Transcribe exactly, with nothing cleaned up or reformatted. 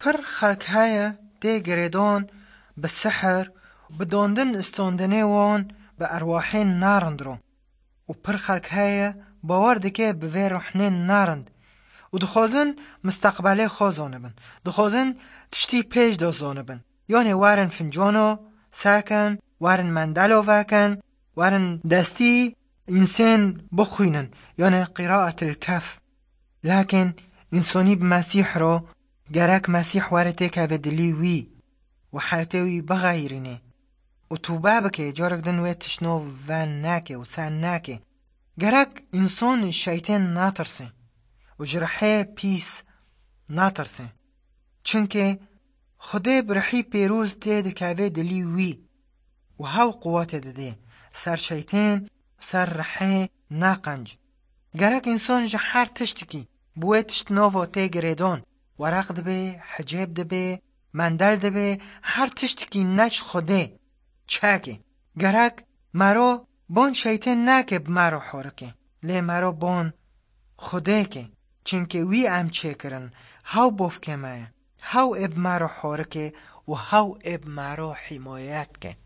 Pir xelk heye tê girêdan bi sihir, bi dandin standinê wan bi erwahên nerind re û pir xelk heye bawer dike bi vê ruhnên nerind û dixwazin misteqbelê xwe zanibin. Dixwazin tiştî pêş de zanibin. Yanê werin fincano sekin, werin mendelo vekin, werin destî însên bixwînin. Yanê qiraetil kef. Lakin însanî bi Mesîh re gerek Mesîh were têkeve dilî wî û heyatê wî bixeyrîne û tobe bike carek din wê tiştno ve neke û ser neke. Gerek însan şeytên natirse û ji rihê pîs natirse. Çunke Xwedê bi rihî pêroz tê dikeve dilî wî û hew quwetê dide ser şeytên ser rihê neqenc. Gerek însan ji her tiştekî bi wê tişt nava tê girêdan wereq dibe, hicêb dibe, mendel dibe, her tiştekî ne ji Xwedê çeke. Gerek mero ban şeytên neke bi me re horike. Lê mero ban Xwedê ke. Çunke wî em çêkirin. Hew bavkê me ye. Hew ê bi me re horike û hew ê bi me re himayet ke.